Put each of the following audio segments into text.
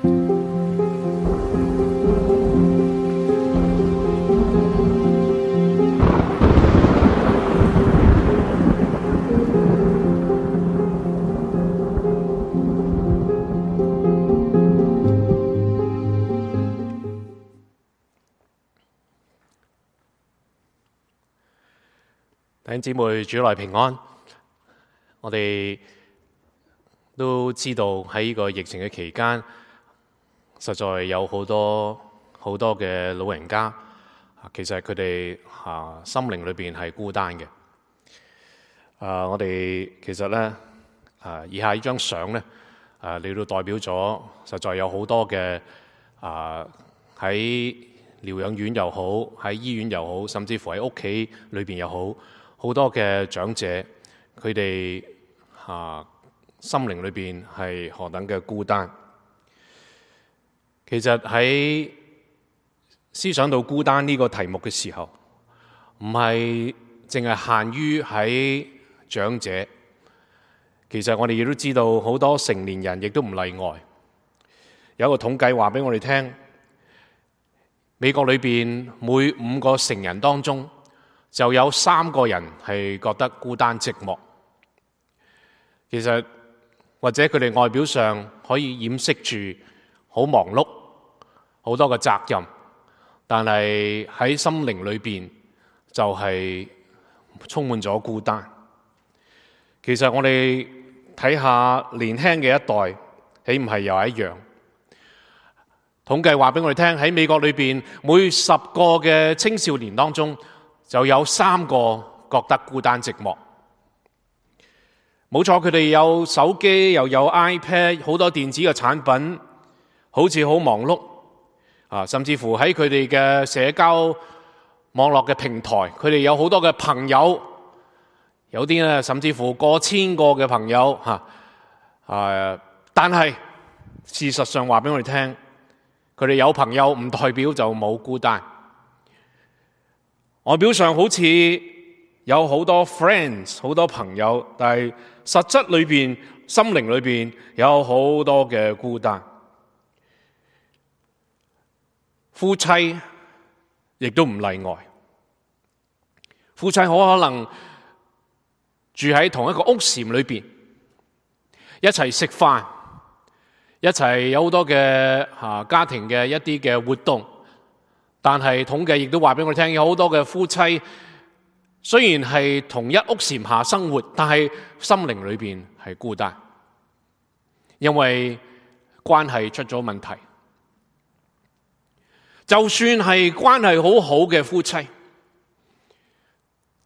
弟兄姊妹，主內平安。我哋都知道喺呢個疫情嘅期間，實在有好多嘅老人家，其實佢哋心靈裏邊係孤單嘅。我哋其實呢，以下呢張相呢，嚟到代表咗實在有好多嘅喺療養院又好，喺醫院又好，甚至乎喺屋企裏邊又好。好多嘅長者，佢哋心靈裏邊係何等嘅孤單。其實喺思想到孤單呢個題目嘅時候，唔係淨係限於喺長者。其實我哋亦都知道好多成年人亦都唔例外。有一個統計話俾我哋聽，美國裏邊每5個成人當中，就有3個人係覺得孤單寂寞。其實或者佢哋外表上可以掩飾住好忙碌，好多嘅責任，但係喺心靈裏邊就係充滿咗孤單。其實我哋睇下年輕嘅一代，豈唔係又係一樣？統計話俾我哋聽，喺美國裏邊每10個嘅青少年當中，就有3個覺得孤單寂寞。冇錯，佢哋有手機，又有 iPad， 好多電子嘅產品，好似好忙碌甚至乎喺佢哋嘅社交網絡嘅平台，佢哋有好多嘅朋友，有啲咧甚至乎過千個嘅朋友但係事實上話俾我哋聽，佢哋有朋友唔代表就冇孤單。外表上好似有好多 friends， 好多朋友，但係實質裏邊、心靈裏邊有好多嘅孤單。夫妻亦都唔例外。夫妻好可能住喺同一個屋檐裏邊，一齊食飯，一齊有好多嘅家庭嘅一啲嘅活動。但係統計亦都話俾我哋聽，有好多嘅夫妻雖然係同一屋檐下生活，但係心靈裏邊係孤單，因為關係出咗問題。就算係關係好好嘅夫妻，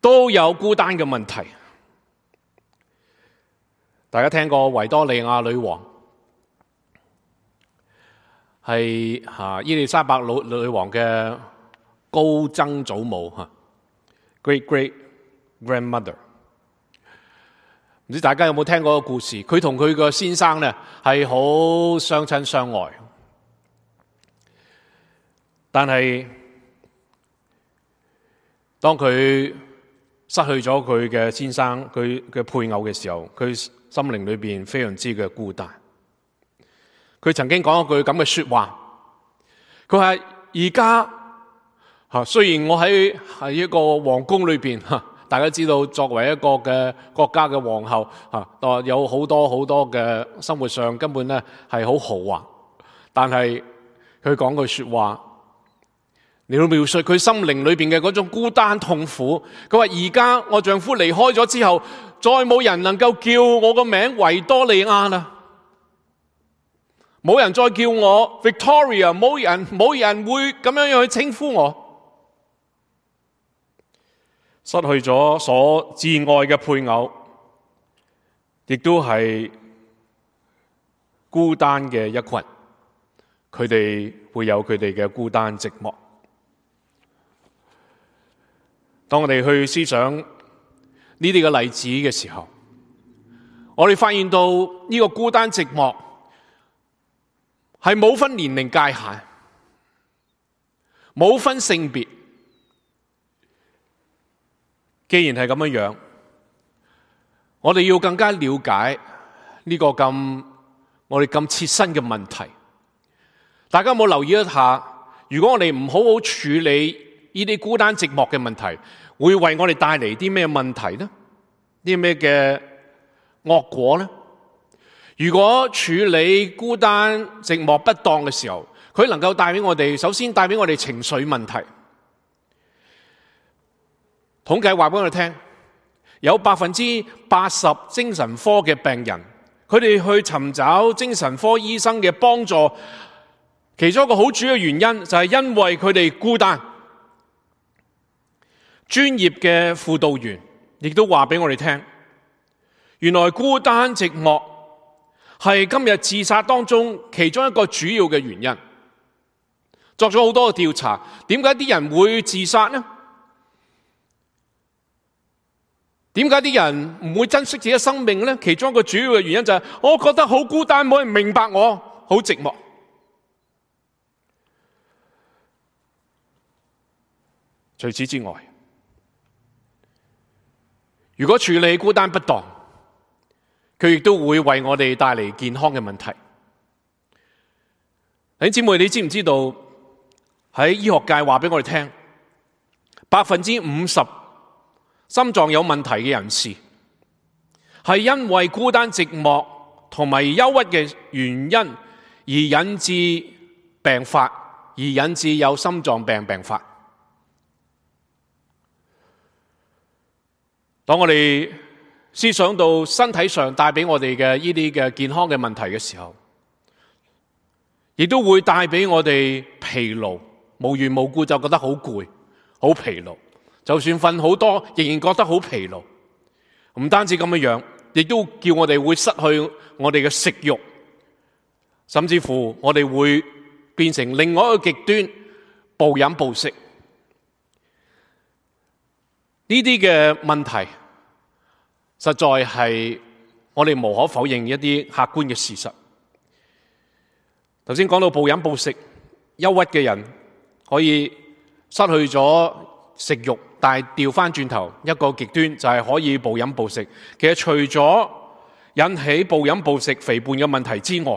都有孤單嘅問題。大家聽過維多利亞女王係伊麗莎白女王嘅高曾祖母，great grandmother。唔知大家有冇聽過個故事？佢同佢個先生呢係好相親相愛，但係當佢失去咗佢嘅先生，佢嘅配偶嘅時候，佢心靈裏邊非常之嘅孤單。佢曾經講一句咁嘅說話，佢話而家雖然我喺一個皇宮裏邊，大家知道作為一個嘅國家嘅皇后，有好多嘅生活上根本咧係好豪華，但係佢講句說話，你要描述佢心靈裏邊嘅嗰種孤單痛苦。佢話而家我丈夫離開咗之後，再冇人能夠叫我個名維多利亞啦。冇人再叫我 Victoria， 冇人會咁樣去稱呼我。失去咗所摯愛嘅配偶，亦都係孤單嘅一群。佢哋會有佢哋嘅孤單寂寞。當我哋去思想呢啲嘅例子嘅時候，我哋發現到呢個孤單寂寞係冇分年齡界限，冇分性別。既然係咁樣，我哋要更加了解呢個我哋咁切身嘅問題，大家有冇留意一下？如果我哋唔好好處理呢啲孤單寂寞嘅問題，會為我哋帶嚟啲咩問題呢？啲咩嘅惡果呢？如果處理孤單寂寞不當嘅時候，佢能夠帶俾我哋，首先帶俾我哋情緒問題。統計話俾我哋聽，有80%精神科嘅病人，佢哋去尋找精神科醫生嘅幫助，其中一個好主要嘅原因就係因為佢哋孤單。專業嘅輔導員亦都話俾我哋聽，原來孤單寂寞係今日自殺當中其中一個主要嘅原因。作咗好多嘅調查，點解啲人會自殺呢？點解啲人唔會珍惜自己嘅生命呢？其中一個主要嘅原因就係我覺得好孤單，冇人明白我，好寂寞。除此之外，如果處理孤單不當，佢亦都會為我哋帶嚟健康嘅問題。弟兄姊妹，你知唔知道喺醫學界話俾我哋聽，50%心臟有問題嘅人士係因為孤單寂寞同埋憂鬱嘅原因而引致病發，而引致有心臟病病發。當我哋思想到身體上帶俾我哋嘅呢啲嘅健康嘅問題嘅時候，亦都會帶俾我哋疲勞，無緣無故就覺得好攰、好疲勞。就算瞓好多，仍然覺得好疲勞。唔單止咁樣，亦都叫我哋會失去我哋嘅食慾，甚至乎我哋會變成另外一個極端，暴飲暴食。呢啲嘅問題，實在係我哋無可否認一啲客觀嘅事實。頭先講到暴飲暴食，憂鬱嘅人可以失去咗食慾，但係調翻轉頭一個極端就係可以暴飲暴食。其實除咗引起暴飲暴食肥胖嘅問題之外，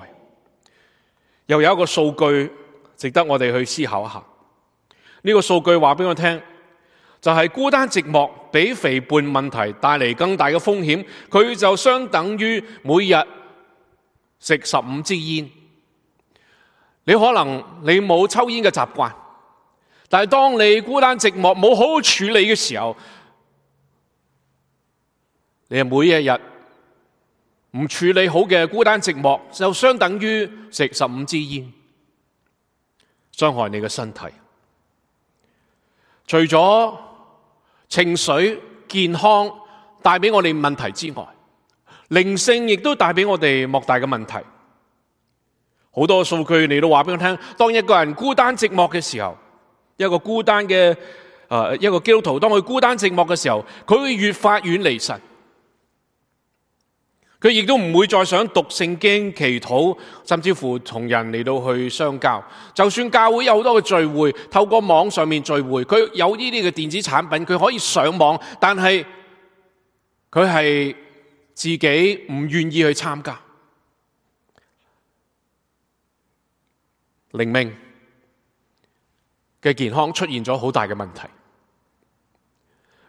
又有一個數據值得我哋去思考一下。呢個數據話俾我聽，就係孤單寂寞比肥胖問題帶嚟更大嘅風險。佢就相等於每日食15支煙。你可能你冇抽煙嘅習慣，但係當你孤單寂寞冇好好處理嘅時候，你係每一日唔處理好嘅孤單寂寞，就相等於食15支煙，傷害你嘅身體。除咗情緒健康帶俾我哋問題之外，靈性亦都帶俾我哋莫大嘅問題。好多數據你都話俾我聽，當一個人孤單寂寞嘅時候，一個孤單嘅一個基督徒，當佢孤單寂寞嘅時候，佢會越發遠離神。佢亦都唔會再想讀聖經、祈禱，甚至乎同人嚟到去相交。就算教會有好多嘅聚會，透過網上面聚會，佢有呢啲嘅電子產品，佢可以上網，但係佢係自己唔願意去參加。靈命嘅健康出現咗好大嘅問題。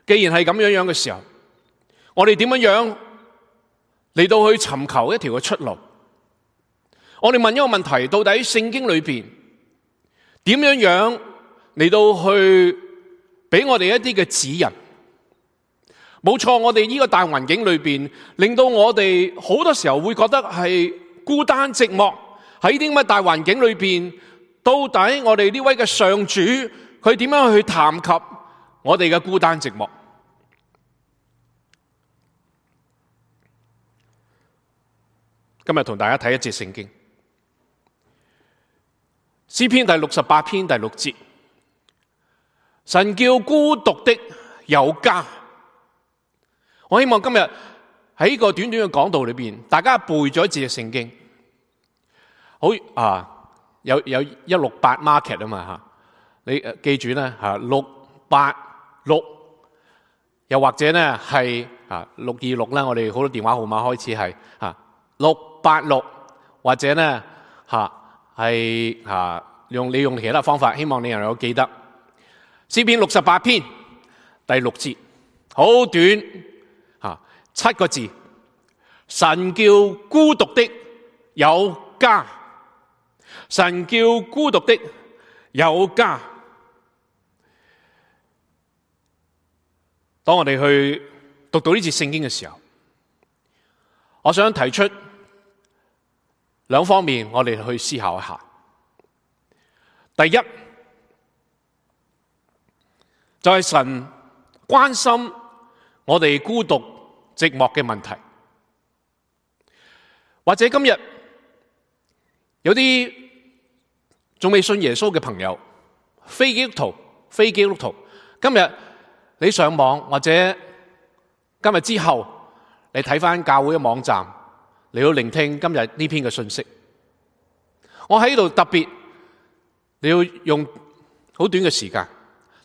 既然係咁樣嘅時候，我哋點樣嚟到去尋求一條嘅出路？我哋問一個問題，到底聖經裏邊點樣嚟到去俾我哋一啲嘅指引？冇錯，我哋呢個大環境裏邊，令到我哋好多時候會覺得係孤單寂寞。喺啲咁嘅大環境裏邊，到底我哋呢位嘅上主，佢點樣去談及我哋嘅孤單寂寞？今日同大家睇一節聖經，詩篇第68篇第6節，神叫孤獨的有家。我希望今日喺呢個短短嘅講道裏邊，大家背咗一節嘅聖經。好有168 market 啊嘛吓，你記住咧吓686，又或者咧係626啦，我哋好多電話號碼開始係686，或者咧係用其他方法，希望你能夠記得詩篇68篇第6節，好短7個字，神叫孤獨的有家，神叫孤獨的有家。當我哋去讀到呢節聖經嘅時候，我想提出兩方面，我哋去思考一下。第一，就係神關心我哋孤獨寂寞嘅問題。或者今日有啲仲未信耶穌嘅朋友，非基督徒，今日你上網或者今日之後你睇返教會嘅網站，你要聆聽今日呢篇嘅信息。我喺度特別你要用好短嘅時間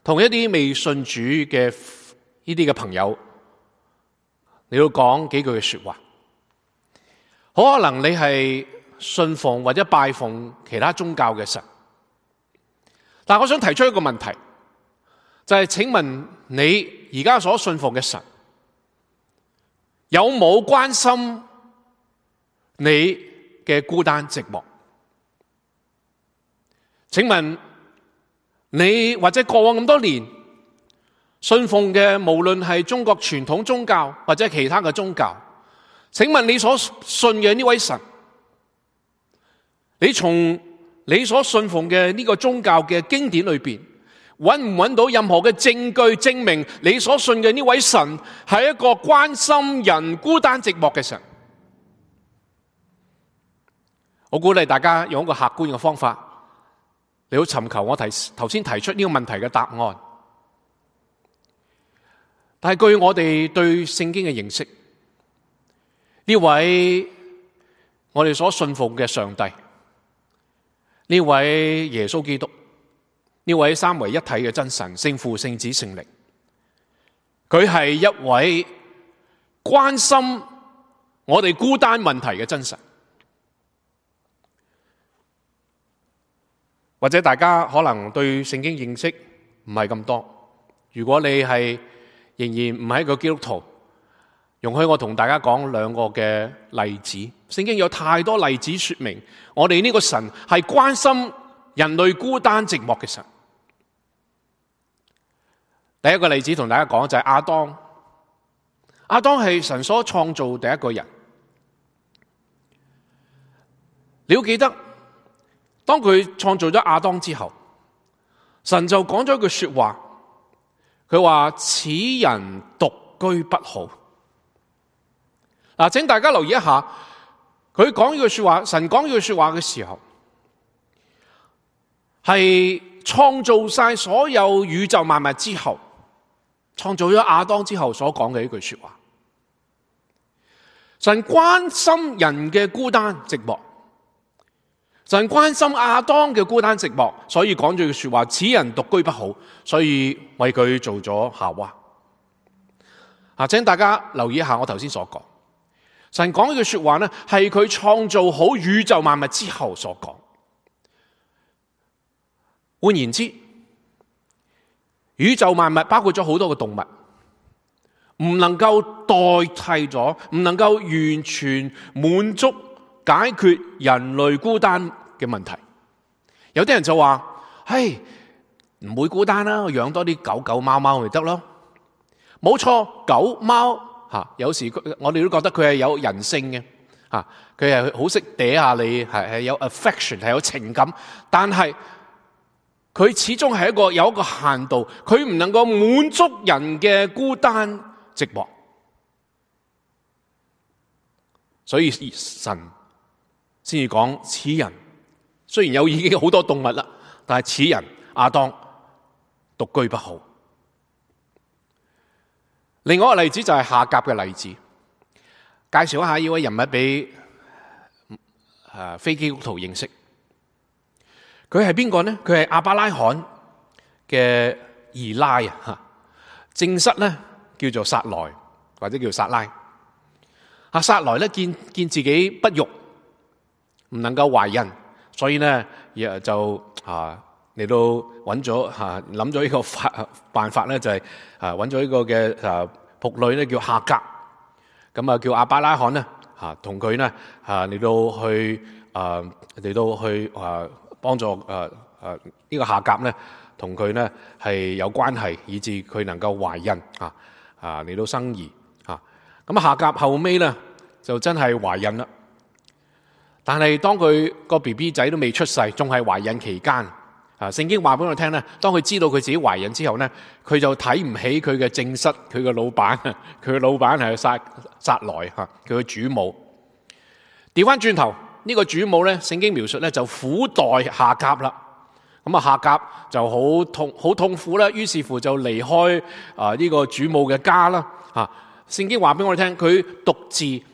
同一啲未信主嘅呢啲嘅朋友，你要講幾句嘅說話。好可能你係信奉或者拜奉其他宗教嘅神，但我想提出一個問題，就係請問你而家所信奉嘅神有冇關心你嘅孤單寂寞？請問你或者過往咁多年信奉嘅，無論係中國傳統宗教或者其他嘅宗教，請問你所信嘅呢位神，你從你所信奉嘅呢個宗教嘅經典裏邊，揾唔揾到任何嘅證據證明你所信嘅呢位神係一個關心人孤單寂寞嘅神？我鼓勵大家用一個客觀嘅方法，你好尋求我頭先提出呢個問題嘅答案。但係據我哋對聖經嘅認識，呢位我哋所信奉嘅上帝，呢位耶穌基督，呢位三位一體嘅真神，聖父、聖子、聖靈，佢係一位關心我哋孤單問題嘅真神。或者大家可能對聖經認識唔係咁多，如果你係仍然唔係一個基督徒，容許我同大家講兩個嘅例子。聖經有太多例子說明我哋呢個神係關心人類孤單寂寞嘅神。第一個例子同大家講就係亞當。亞當係神所創造第一個人。你要記得，當佢創造咗亞當之後，神就講咗一句說話，佢話此人獨居不好。嗱，請大家留意一下，佢講呢句說話，神講呢句說話嘅時候，係創造晒所有宇宙萬物之後，創造咗亞當之後所講嘅一句說話。神關心人嘅孤單寂寞，神關心亞當嘅孤單寂寞，所以講咗句說話，此人獨居不好，所以為佢做咗夏娃。請大家留意一下我頭先所講，神講呢句說話呢，係佢創造好宇宙萬物之後所講。換言之，宇宙萬物包括咗好多嘅動物，唔能夠代替咗，唔能夠完全滿足解決人類孤單嘅問題。有啲人就話，嘿，唔會孤單啦，我養多啲狗狗貓貓咪得咯。冇錯，狗貓有時我哋都覺得佢係有人性嘅，佢係好識嗲下你，係有 affection， 係有情感，但係佢始終係有一個限度，佢唔能夠滿足人嘅孤單寂寞。所以神先至講此人，雖然已經有好多動物啦，但係此人亞當獨居不好。另外一個例子就係夏甲嘅例子，介紹一下呢位人物俾非基督徒認識。佢係邊個呢？佢係亞伯拉罕嘅二奶啊，正室咧叫做撒萊或者叫撒拉。撒萊咧見自己不育，唔能夠懷孕，所以咧就嚟到揾咗諗咗呢個辦法咧，就係揾咗呢個嘅僕女咧，叫夏甲，咁叫亞伯拉罕咧同佢咧嚟到去幫助呢個夏甲咧，同佢咧係有關係，以致佢能夠懷孕嚟到生兒咁夏甲後尾咧就真係懷孕啦，但係當佢個 BB 仔都未出世，仲係懷孕期間。聖經話俾我聽咧，當佢知道佢自己懷孕之後咧，佢就睇唔起佢嘅正室，佢嘅老闆，佢嘅老闆係撒萊佢嘅主母。調翻轉頭，呢個主母咧，聖經描述咧就苦待夏甲啦。咁夏甲就好痛苦啦，於是乎就離開呢個主母嘅家啦。聖經話俾我哋聽，佢獨自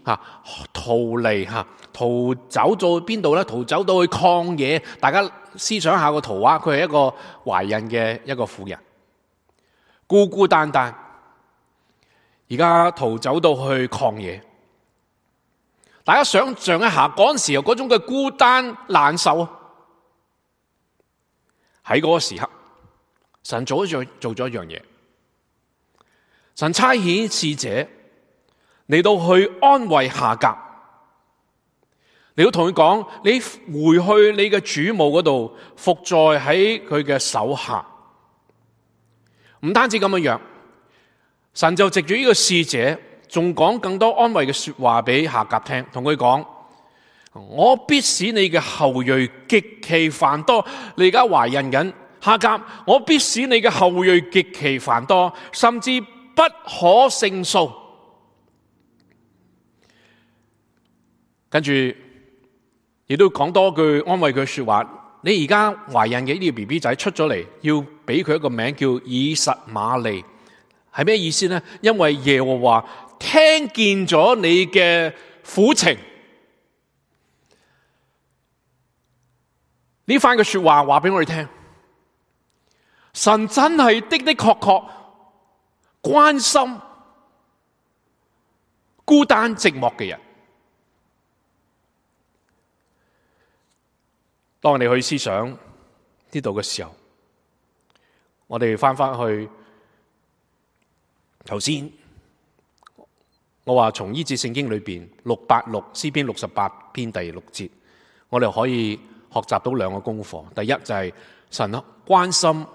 逃離逃走到邊度咧？逃走到去曠野。大家思想下個圖畫，佢係一個懷孕嘅一個婦人，孤孤單單，而家逃走到去曠野。大家想象一下嗰陣時候嗰種嘅孤單難受啊！喺嗰個時刻，神做咗一樣嘢，神差遣使者嚟到去安慰夏甲。你都同佢講，你回去你嘅主母嗰度，伏在喺佢嘅手下。唔單止咁樣，神就藉住呢個使者，仲講更多安慰嘅說話俾夏甲聽，同佢講：我必使你嘅後裔極其繁多。你而家懷孕緊，夏甲，我必使你嘅後裔極其繁多，甚至不可勝數。跟住亦都講多句安慰佢嘅說話。你而家懷孕嘅呢個 BB 仔出咗嚟，要俾佢一個名叫以實瑪利，係咩意思呢？因為耶和華聽見咗你嘅苦情。呢番嘅說話話俾我哋聽，神真係的確關心孤單寂寞嘅人。當我哋去思想呢度嘅時候，我哋翻去頭先，我話從呢節聖經裏邊686詩篇68篇第6節，我哋可以學習到兩個功課。第一就係神關心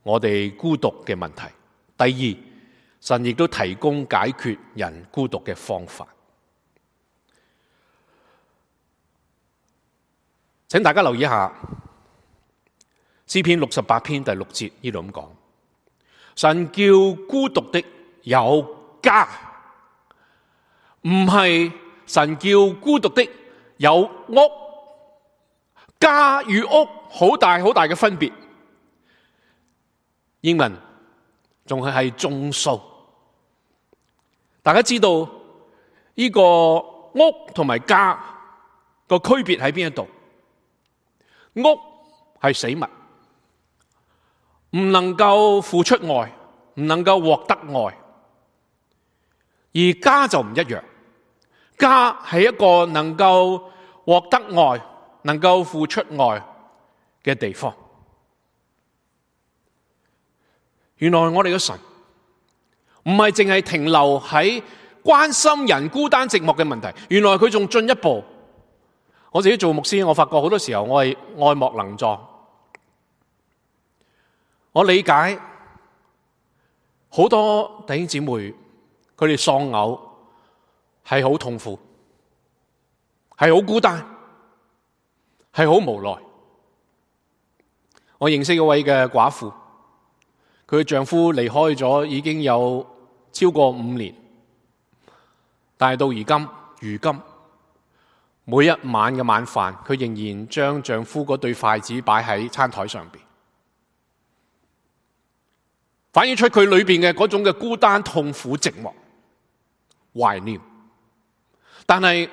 我哋孤獨嘅問題；第二，神亦都提供解決人孤獨嘅方法。請大家留意一下詩篇68篇第6節，呢度咁講：神叫孤獨的有家，唔係神叫孤獨的有屋。家與屋好大嘅分別。英文仲係眾數。大家知道呢個屋同埋家個區別喺邊一度？屋係死物，唔能夠付出愛，唔能夠獲得愛。而家就唔一樣，家係一個能夠獲得愛，能夠付出愛嘅地方。原來我哋嘅神唔係淨係停留喺關心人孤單寂寞嘅問題，原來佢仲進一步。我自己做牧師，我發覺好多時候我係愛莫能助。我理解好多弟兄姊妹，佢哋喪偶係好痛苦，係好孤單，係好無奈。我認識一位嘅寡婦，佢嘅丈夫離開咗已經有超過5年，但係到如今每一晚嘅晚飯，佢仍然將丈夫嗰對筷子擺喺餐台上邊，反映出佢裏邊嘅嗰種嘅孤單、痛苦、寂寞、懷念。但係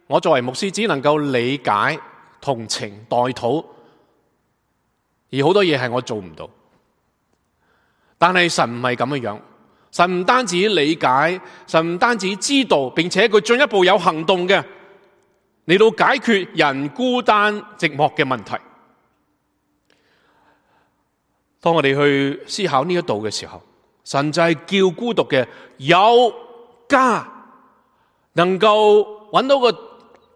我作為牧師，只能夠理解、同情、代禱，而好多嘢係我做唔到。但係神唔係咁嘅樣，神唔單止理解，神唔單止知道，並且佢進一步有行動嘅。嚟到解決人孤單寂寞嘅問題。當我哋去思考呢一度嘅時候，神就係叫孤獨嘅有家，能夠揾到個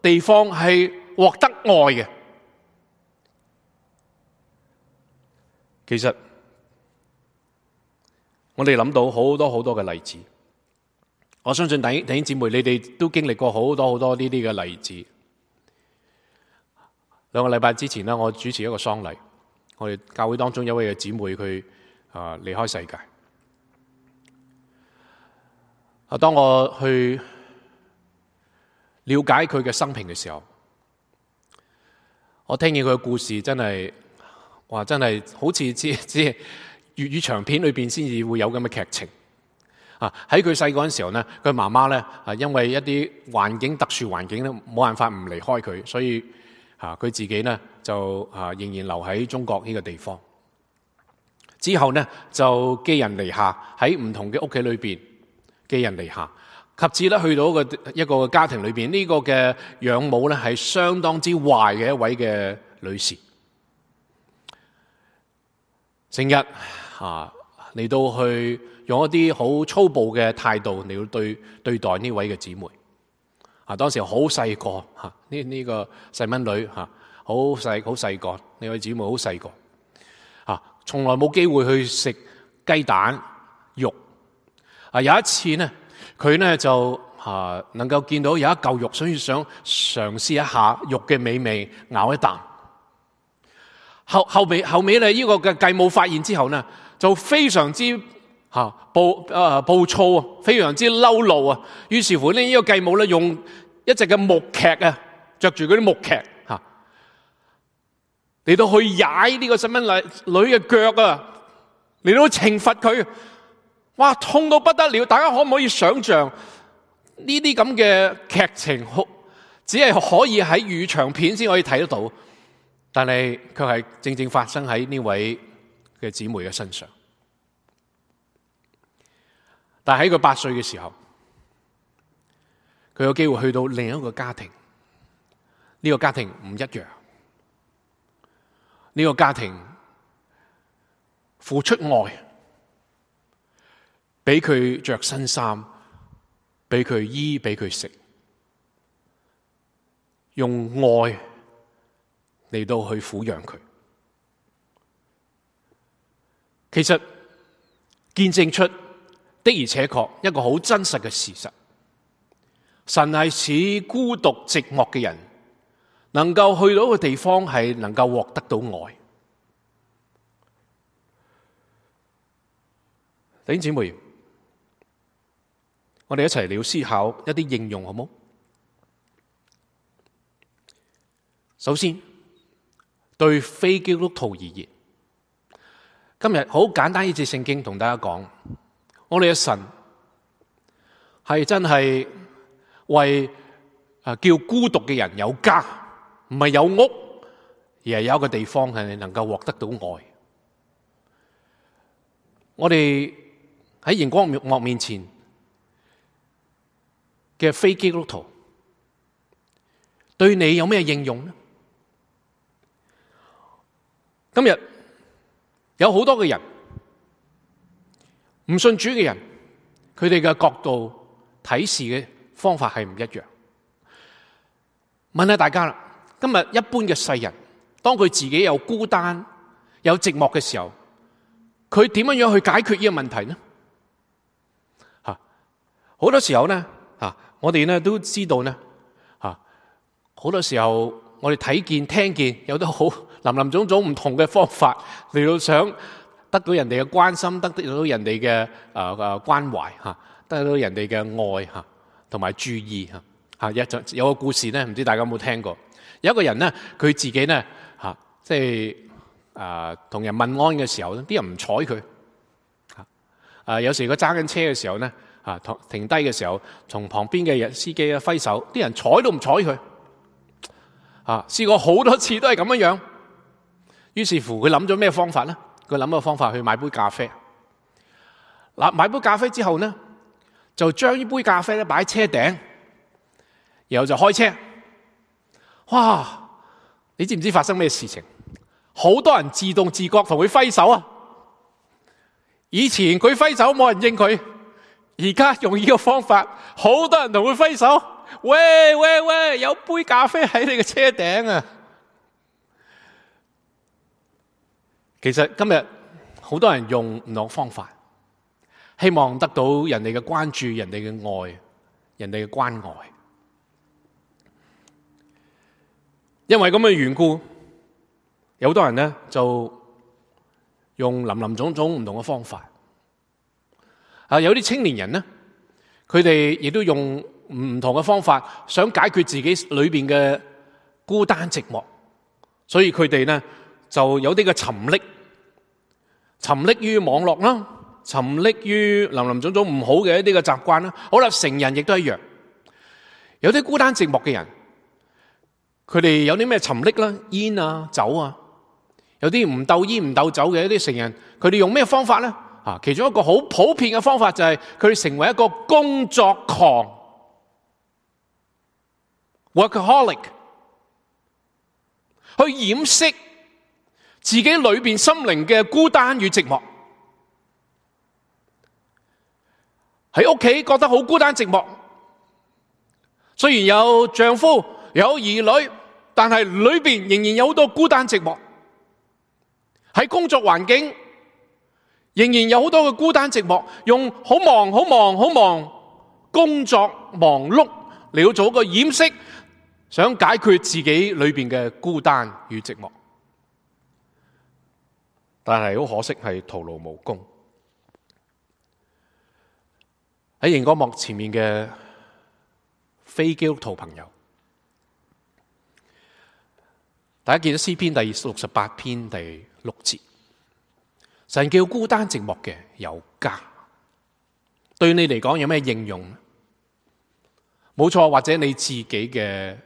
地方係獲得愛嘅。其實我哋諗到好多好多嘅例子，我相信弟兄姊妹你哋都經歷過好多好多呢啲嘅例子。2個禮拜之前呢，我主持一個喪禮，我哋教會當中有一位嘅姊妹佢離開世界。當我去了解佢嘅生平嘅時候，我聽見佢嘅故事真係好似只係粵語長片裏邊先至會有咁嘅劇情。喺佢細個嗰陣時候呢，佢媽媽呢因為一啲特殊環境咧，冇辦法唔離開佢，所以佢自己呢就仍然留喺中國呢個地方。之後呢就寄人籬下，喺唔同嘅屋企裏邊寄人籬下，及至咧去到一個家庭裏邊，呢個嘅養母呢係相當之壞嘅一位嘅女士，成日嚟到去用一啲好粗暴嘅態度嚟到對待呢位嘅姊妹。當時好細個呢個細蚊女好細個，呢位姊妹好細個從來冇機會去食雞蛋肉。有一次呢，佢呢就能夠見到有一嚿肉，所以想嘗試一下肉嘅美味，咬一啖。後尾呢，呢個嘅繼母發現之後呢，就非常之暴躁，非常之嬲怒啊！於是乎呢個繼母呢，用一隻嘅木屐着住嗰啲木屐嚟到去踩呢個細蚊女嘅腳嚟到懲罰佢。哇，痛到不得了！大家可唔可以想象呢啲咁嘅劇情？只係可以喺粵語長片先可以睇得到，但係卻係正正發生喺呢位嘅姊妹嘅身上。但係喺佢8歲嘅時候，佢有機會去到另一個家庭。呢個家庭唔一樣，呢個家庭付出愛，俾佢着新衫，俾佢醫，俾佢食，用愛嚟到去撫養佢。其實見證出的而且確一個好真實嘅事實，神係使孤獨寂寞嘅人能夠去到一個地方，係能夠獲得到愛。弟兄姊妹，我哋一齊嚟思考一啲應用，好冇？首先，對非基督徒而言，今日好簡單一節聖經同大家講，我哋嘅神係真係為叫孤獨嘅人有家，唔係有屋，而係有一個地方係你能夠獲得到愛。我哋喺熒光幕面前嘅非基督徒，對你有咩應用呢？今日有好多嘅人，唔信主嘅人，佢哋嘅角度睇事嘅方法係唔一樣。問下大家啦，今日一般嘅世人，當佢自己有孤單、有寂寞嘅時候，佢點樣去解決呢個問題呢？好多時候呢，我哋呢都知道呢，好多時候我哋睇見、聽見有得好林林總總唔同嘅方法嚟到想得到人哋嘅關心，得到人哋嘅關懷，得到人哋嘅愛同埋注意。有個故事呢，唔知大家有冇聽過？有一個人呢，佢自己呢，即係同人問安嘅時候，啲人唔睬佢。有時佢揸緊車嘅時候呢，停低嘅時候，從旁邊嘅司機揮手，啲人睬都唔睬佢。試過好多次都係咁樣樣。於是乎佢諗咗咩方法呢？佢諗個方法去買杯咖啡。買杯咖啡之後呢，就將呢杯咖啡咧擺喺車頂，然後就開車哇！你知唔知發生咩事情？好多人自動自覺同佢揮手啊！以前佢揮手冇人應佢，而家用呢個方法，好多人同佢揮手。喂喂喂，有杯咖啡喺你嘅車頂啊！其實今日好多人用唔同方法，希望得到人哋嘅關注、人哋嘅愛、人哋嘅關愛。因為咁嘅緣故，有好多人呢就用林林種種唔同嘅方法。有啲青年人呢，佢哋亦都用唔同嘅方法，想解決自己裏邊嘅孤單寂寞，所以佢哋呢就有啲嘅沉溺於網絡啦，沉溺於林林種種唔好嘅一啲嘅習慣啦。好啦，成人亦都一樣，有啲孤單寂寞嘅人，佢哋有啲咩沉溺啦，煙啊、酒啊，有啲唔鬥煙唔鬥酒嘅一啲成人，佢哋用咩方法呢？其中一個好普遍嘅方法就係佢哋成為一個工作狂 （workaholic）， 去掩飾自己裏邊心靈嘅孤單與寂寞。喺屋企覺得好孤單寂寞，雖然有丈夫有兒女，但係裏邊仍然有好多孤單寂寞。喺工作環境仍然有好多嘅孤單寂寞，用好忙工作忙碌嚟到做一個掩飾，想解決自己裏邊嘅孤單與寂寞，但係好可惜係徒勞無功。喺熒光幕前面嘅非基督徒朋友，大家見到詩篇第68篇第6節，神叫孤單寂寞嘅有家。對你嚟講有咩應用？冇錯，或者你自己嘅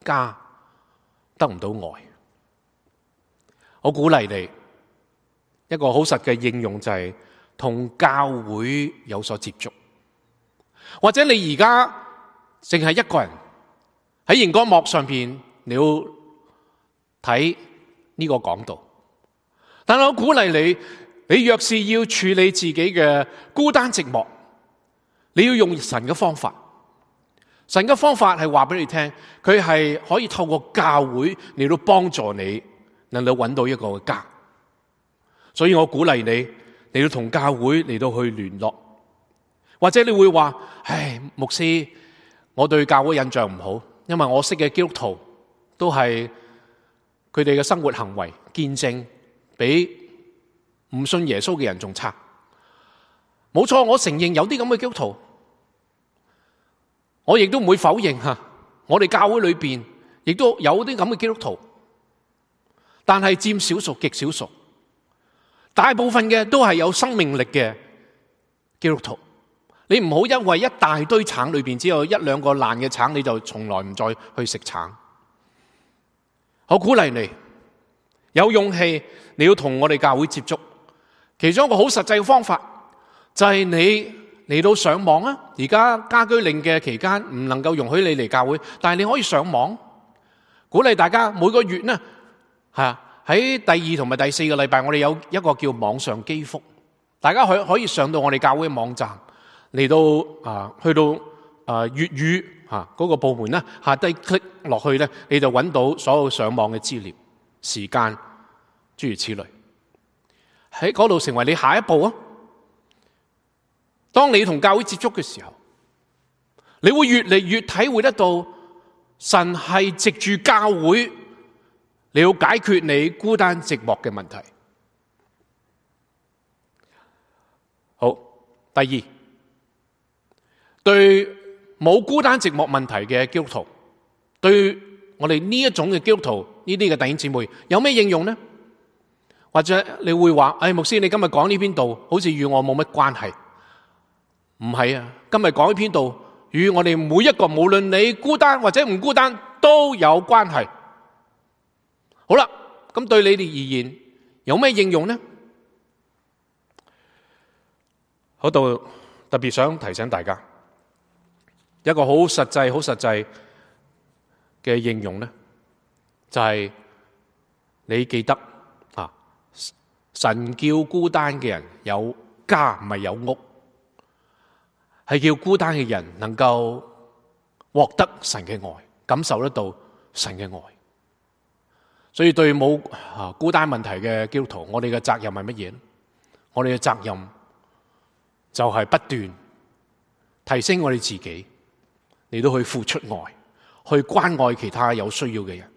家得唔到愛。我鼓勵你一個好實嘅應用就係同教會有所接觸，或者你而家淨係一個人喺熒光幕上邊，你要睇呢個講道。但係我鼓勵你，你若是要處理自己嘅孤單寂寞，你要用神嘅方法。神嘅方法係話俾你聽，佢係可以透過教會嚟到幫助你，能夠揾到一個家。所以我鼓勵你，你要同教會嚟到去聯絡。或者你會話，唉，牧師，我對教會印象唔好，因為我識嘅基督徒都係佢哋嘅生活行為見證比唔信耶穌嘅人仲差。冇錯，我承認有啲咁嘅基督徒，我亦都唔會否認我哋教會裏邊亦都有啲咁嘅基督徒，但係佔少數，極少數。大部分嘅都係有生命力嘅基督徒。你唔好因為一大堆橙裏邊只有一兩個爛嘅橙，你就從來唔再去食橙。我鼓勵你有勇氣，你要同我哋教會接觸。其中一個好實際嘅方法就係你嚟到上網啊！而家家居令嘅期間唔能夠容許你嚟教會，但係你可以上網。鼓勵大家每個月呢，喺第2同埋第4個禮拜，我哋有一個叫網上基福，大家可以上到我哋教會嘅網站嚟到去到粵語嗰個部門呢，下低 click 落去呢，你就揾到所有上網嘅資料、時間諸如此類，喺嗰度成為你下一步啊！當你同教會接觸嘅時候，你會越嚟越體會得到神係藉住教會你要解決你孤單寂寞嘅問題。好，第二，對冇孤單寂寞問題嘅基督徒，對我哋呢一種嘅基督徒，呢啲嘅弟兄姊妹有咩應用呢？或者你會話，牧師，你今日講呢篇道好似與我冇乜關係。唔係啊，今日講呢篇道與我哋每一個，無論你孤單或者唔孤單都有關係。好啦，咁對你哋而言有咩應用呢？嗰度特別想提醒大家一個好實際嘅應用呢，就係你記得神叫孤單嘅人有家，唔係有屋，係叫孤單嘅人能夠獲得神嘅愛，感受得到神嘅愛。所以對冇孤單問題嘅基督徒，我哋嘅責任係乜嘢呢？我哋嘅責任就係不斷提升我哋自己，嚟到去付出愛，去關愛其他有需要嘅人。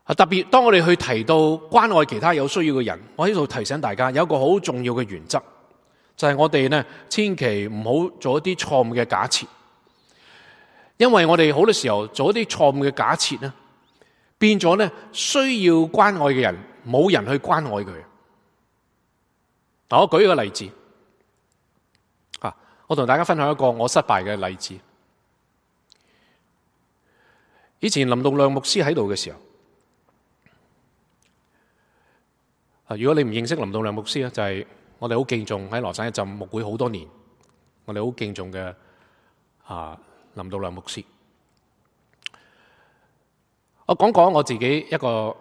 特別當我哋去提到關愛其他有需要嘅人，我喺度提醒大家有一個好重要嘅原則，就係我哋呢千祈唔好做一啲錯誤嘅假設，因為我哋好多時候做一啲錯誤嘅假設呢，變咗呢需要關愛嘅人冇人去關愛佢。嗱，我舉一個例子，我同大家分享一個我失敗嘅例子。以前林道亮牧師喺度嘅時候，如果你唔認識林道亮牧師咧，就係我哋好敬重喺羅省一浸牧會好多年，我哋好敬重嘅林道亮牧師。我講講我自己一個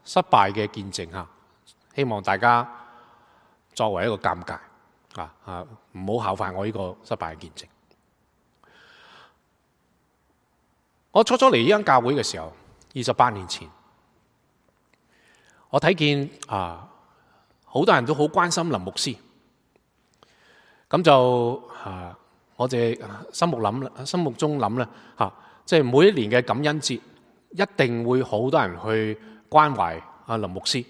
失敗嘅見證吓，希望大家作為一個鑑戒唔好效法我呢個失敗嘅見證。我初初嚟呢間教會嘅時候，28年前，我睇見好多人都好關心林牧師，咁就我哋心目中諗咧即係每一年嘅感恩節，一定會好多人去關懷林牧師，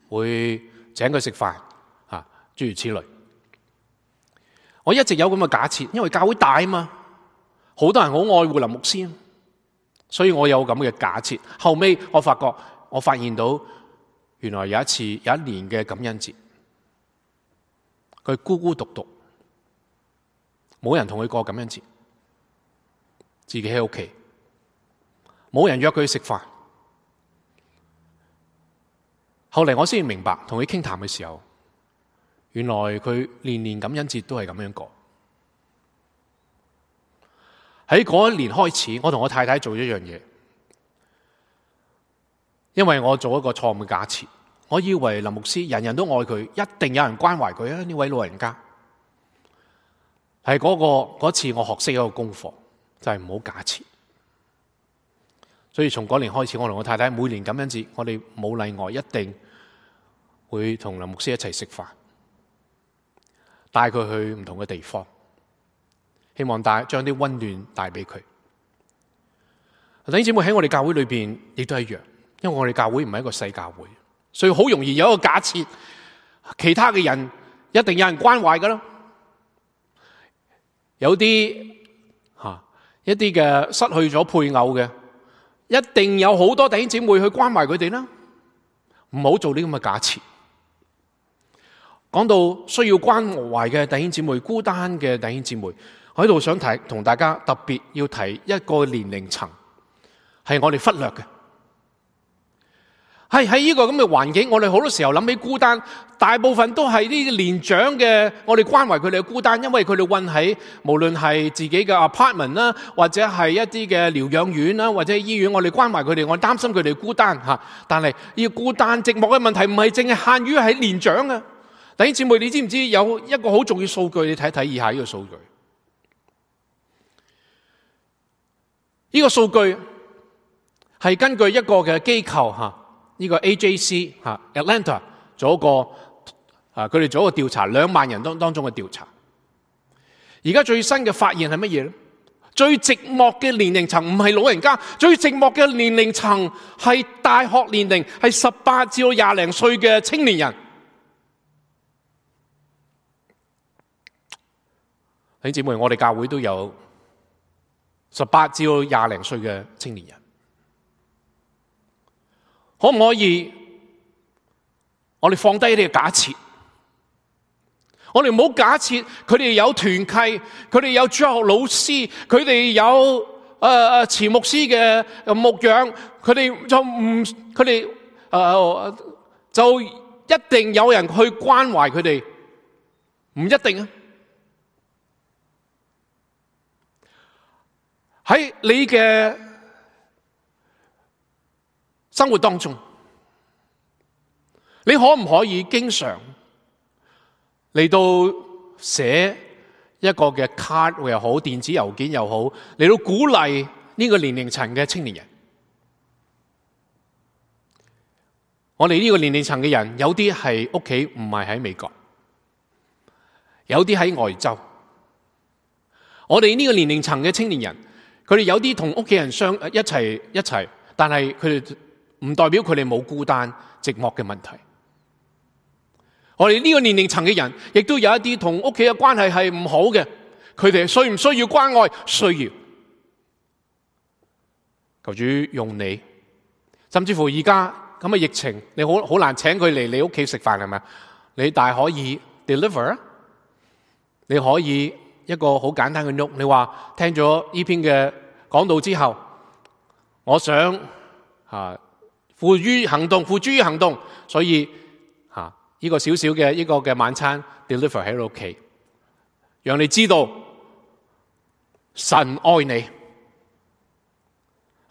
會請佢食飯，諸如此類。我一直有咁嘅假設，因為教會大啊嘛，好多人好愛護林牧師，所以我有咁嘅假設。後尾我發現到，原來有一年嘅感恩節，佢孤孤獨獨，冇人同佢過感恩節，自己喺屋企，冇人約佢食飯。後嚟我先明白，同佢傾談嘅時候，原來佢年感恩節都係咁樣過。喺嗰一年開始，我同我太太做一樣嘢，因為我做一個錯誤嘅假設，我以為林牧師人人都愛佢，一定有人關懷佢啊！呢位老人家係嗰次我學識一個功課，就係唔好假設。所以從嗰年開始，我同我太太每年感恩節，我哋冇例外，一定會同林牧師一齊食飯，帶佢去唔同嘅地方，希望將啲溫暖帶俾佢。弟兄姊妹，喺我哋教會裏邊亦都係一樣，因為我哋教會唔係一個細教會，所以好容易有一個假設，其他嘅人一定有人關懷噶啦。有啲一啲嘅失去咗配偶嘅，一定有好多弟兄姊妹去關懷佢哋啦。唔好做呢咁嘅假設。講到需要關懷嘅弟兄姊妹，孤單嘅弟兄姊妹，我喺度想同大家特別要提一個年齡層，係我哋忽略嘅。喺呢個咁嘅環境，我哋好多時候諗起孤單，大部分都係呢啲年長嘅，我哋關懷佢哋嘅孤單，因為佢哋困喺無論係自己嘅 apartment 啦，或者係一啲嘅療養院啦，或者醫院，我哋關懷佢哋，我哋擔心佢哋孤單吓。但係呢個孤單寂寞嘅問題唔係淨係限於喺年長嘅。弟兄姊妹，你知唔知有一個好重要數據？你睇睇以下呢個數據。呢個數據係根據一個嘅機構呢個 AJC Atlanta 做一個佢哋做一個調查，2萬人當中嘅調查。而家最新嘅發現係乜嘢咧？最寂寞嘅年齡層唔係老人家，最寂寞嘅年齡層係大學年齡，係18至20零歲嘅青年人。弟兄姊妹，我哋教會都有18至20零歲嘅青年人，可唔可以我哋放低呢個假設？我哋唔好假設佢哋有團契，佢哋有主學老師，佢哋有前牧師嘅牧養，佢哋就一定有人去關懷佢哋，唔一定啊。喺你嘅生活當中，你可唔可以經常嚟到寫一個嘅卡又好，電子郵件又好，嚟到鼓勵呢個年齡層嘅青年人？我哋呢個年齡層嘅人，有啲係屋企唔係喺美國，有啲喺外州。我哋呢個年齡層嘅青年人，佢哋有啲同屋企人一齊，但係佢哋唔代表佢哋冇孤單寂寞嘅問題。我哋呢個年齡層嘅人，亦都有一啲同屋企嘅關係係唔好嘅，佢哋需唔需要關愛？需要。求主用你，甚至乎而家咁嘅疫情，你好難請佢嚟你屋企食飯，係咪？你大可以 deliver， 你可以一個好簡單嘅 note， 你話聽咗呢篇嘅講道之後，我想付諸於行動，所以呢個小小嘅呢個嘅晚餐 deliver 喺你屋企，讓你知道神愛你。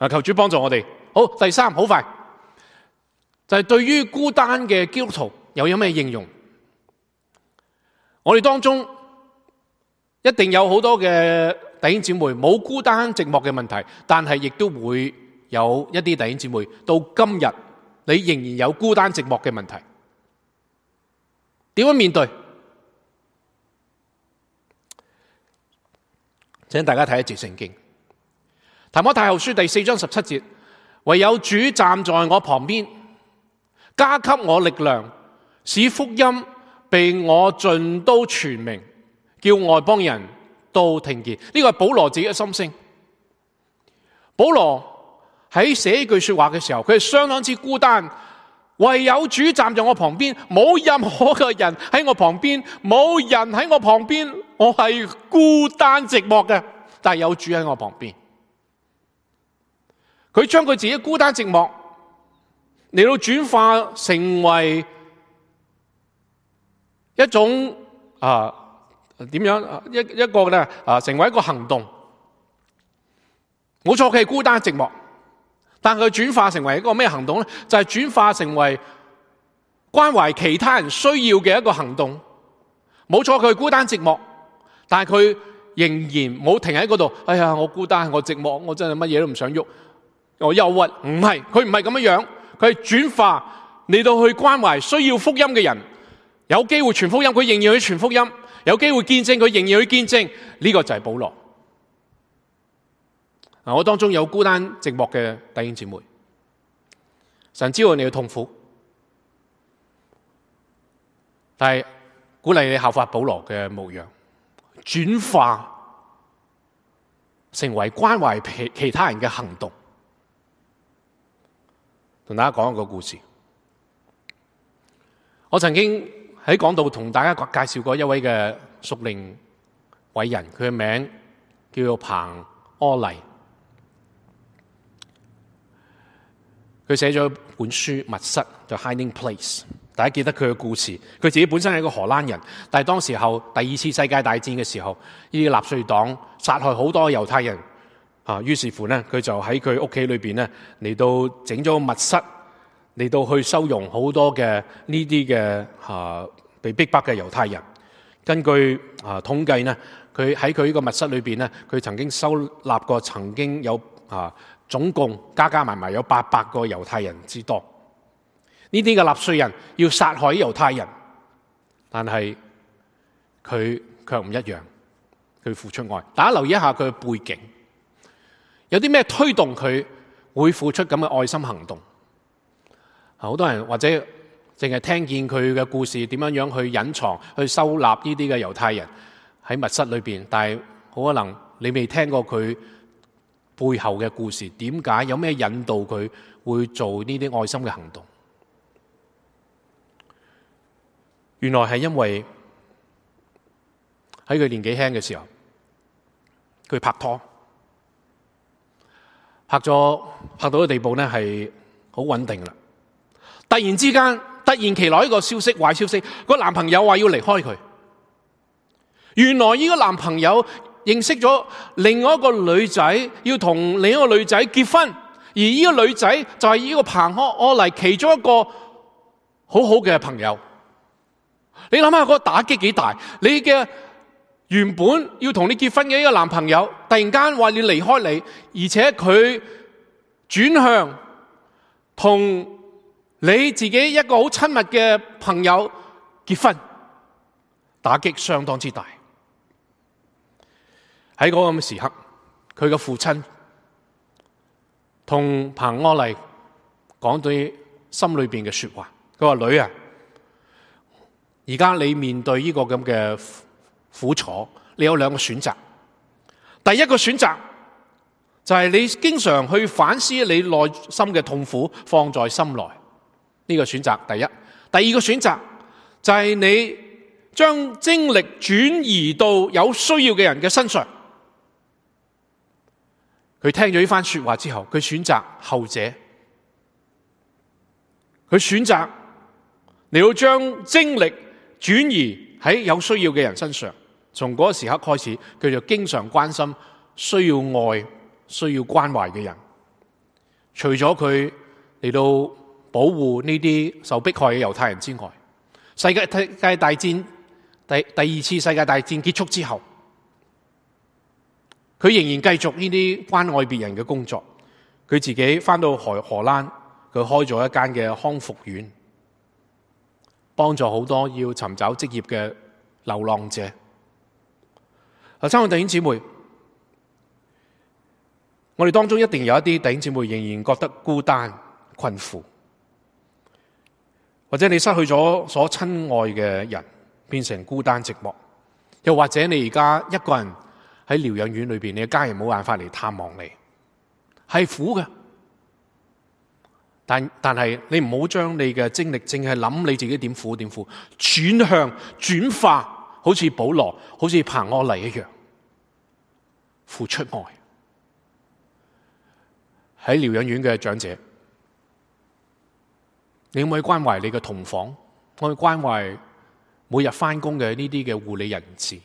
求主幫助我哋。好，第三，好快就係對於孤單嘅基督徒又有咩應用？我哋當中一定有好多嘅弟兄姊妹冇孤單寂寞嘅問題，但係亦都會有一啲弟兄姊妹到今日你仍然有孤單寂寞嘅問題，點樣面對？請大家睇一節聖經，提摩太後書第4章17節，唯有主站在我旁邊，加給我力量，使福音被我盡都傳明，叫外邦人都聽見。呢個係保羅自己嘅心聲。保羅喺寫呢句說話嘅時候，佢係相當之孤單，唯有主站在我旁邊，冇任何嘅人喺我旁邊，冇人喺我旁邊，我係孤單寂寞嘅，但係有主喺我旁邊。佢將佢自己孤單寂寞嚟到轉化成為一種點樣一個咧成為一個行動。冇錯，佢係孤單寂寞，但佢轉化成為一個咩行動咧？就係轉化成為關懷其他人需要嘅一個行動。冇錯，佢係孤單寂寞，但係佢仍然冇停喺嗰度。哎呀，我孤單，我寂寞，我真係乜嘢都唔想喐，我憂鬱。唔係，佢唔係咁樣樣，佢係轉化嚟到去關懷需要福音嘅人。有機會傳福音，佢仍然去傳福音；有機會見證，佢仍然去見證。呢個就係保羅。我當中有孤單寂寞嘅弟兄姊妹，神知道你嘅痛苦，但係鼓勵你效法保羅嘅模樣，轉化成為關懷其他人嘅行動。同大家講一個故事。我曾經喺講道同大家介紹過一位嘅屬靈偉人，佢嘅名叫做彭柯麗。佢寫咗本書《密室》就 Hiding Place， 大家記得佢嘅故事。佢自己本身係一個荷蘭人，但係當時候第二次世界大戰嘅時候，呢啲納粹黨殺害好多猶太人於是乎呢，佢就喺佢屋企裏邊呢嚟到整咗密室，嚟到去收容好多嘅呢啲嘅被逼迫嘅猶太人。根據統計呢，佢喺佢呢個密室裏邊呢，佢曾經收納過曾經有總共加埋有800個猶太人之多。呢啲嘅納粹人要殺害猶太人，但係佢卻唔一樣，佢付出愛。大家留意一下佢嘅背景，有啲咩推動佢會付出咁嘅愛心行動？好多人或者淨係聽見佢嘅故事點樣樣去隱藏、去收納呢啲嘅猶太人喺密室裏邊，但係好可能你未聽過佢背後嘅故事，點解有咩引導佢會做呢啲愛心嘅行動？原來係因為喺佢年紀輕嘅時候，佢拍拖，拍到個地步呢係好穩定啦。突然之間，突然其來一個消息，壞消息，個男朋友話要離開佢。原來呢個男朋友認識咗另外一個女仔，要同另一個女仔結婚，而呢個女仔就係呢個彭柯嚟其中一個好好嘅朋友。你諗下嗰個打擊幾大？你嘅原本要同你結婚嘅呢個男朋友，突然間話要離開你，而且佢轉向同你自己一個好親密嘅朋友結婚，打擊相當之大。喺嗰個咁嘅時刻，佢嘅父親同彭柯麗講到心裏邊嘅說話，佢話：女啊，而家你面對呢個咁嘅苦楚，你有兩個選擇。第一個選擇就係你經常去反思你內心嘅痛苦，放在心內，呢個選擇第一。第二個選擇就係你將精力轉移到有需要嘅人嘅身上。佢聽咗呢番說話之後，佢選擇後者。佢選擇你要將精力轉移喺有需要嘅人身上。從嗰個時刻開始，佢就經常關心需要愛、需要關懷嘅人。除咗佢嚟到保護呢啲受迫害嘅猶太人之外，世界大戰第二次世界大戰結束之後，佢仍然繼續呢啲關愛別人嘅工作。佢自己返到荷蘭，佢開咗一間嘅康復院，幫助好多要尋找職業嘅流浪者。親愛弟兄姊妹，我哋當中一定有一啲弟兄姊妹仍然覺得孤單困苦，或者你失去咗所親愛嘅人，變成孤單寂寞，又或者你而家一個人喺療養院裏邊，你嘅家人冇辦法嚟探望你，係苦嘅。但係你唔好將你嘅精力淨係諗你自己點苦，轉向轉化，好似保羅，好似彭柯麗一樣，付出愛。喺療養院嘅長者，你可唔可以關懷你嘅同房？可唔可以關懷每日返工嘅呢啲嘅護理人士？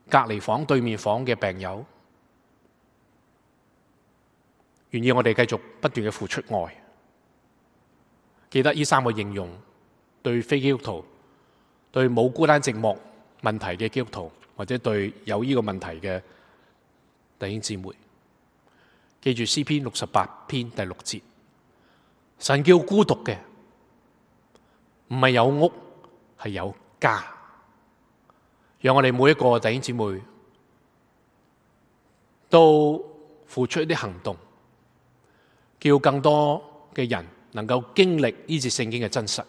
隔離房對面房嘅病友，願意我哋繼續不斷嘅付出愛。記得呢三個應用，對非基督徒，對冇孤單寂寞問題嘅基督徒，或者對有呢個問題嘅弟兄姊妹，記住詩篇68篇第6節，神叫孤獨嘅唔係有屋，係有家。讓我哋每一個弟兄姊妹都付出一啲行動，叫更多嘅人能夠經歷呢節聖經嘅真實。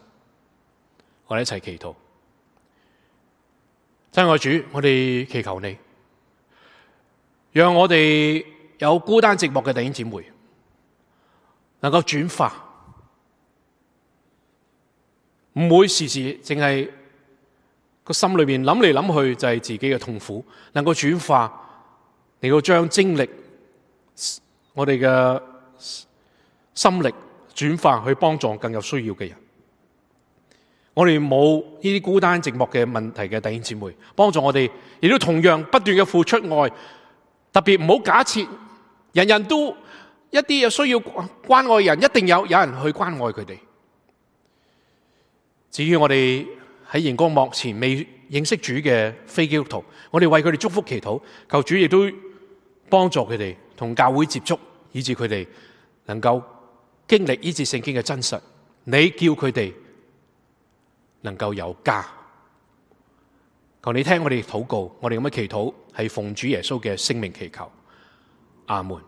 我哋一齊祈禱。親愛主，我哋祈求你，讓我哋有孤單寂寞嘅弟兄姊妹能夠轉化，唔會時時淨係個心裏邊諗嚟諗去就係自己嘅痛苦，能夠轉化，能夠將精力、我哋嘅心力轉化去幫助更有需要嘅人。我哋冇呢啲孤單寂寞嘅問題嘅弟兄姊妹，幫助我哋亦都同樣不斷嘅付出愛。特別唔好假設人人都一啲有需要關愛人，一定有人去關愛佢哋。至於我哋喺熒光幕前未認識主嘅非基督徒，我哋為佢哋祝福祈禱，求主亦都幫助佢哋同教會接觸，以致佢哋能夠經歷呢節聖經嘅真實。你叫佢哋能夠有家。求你聽我哋禱告，我哋咁嘅祈禱係奉主耶穌嘅聖名祈求，阿門。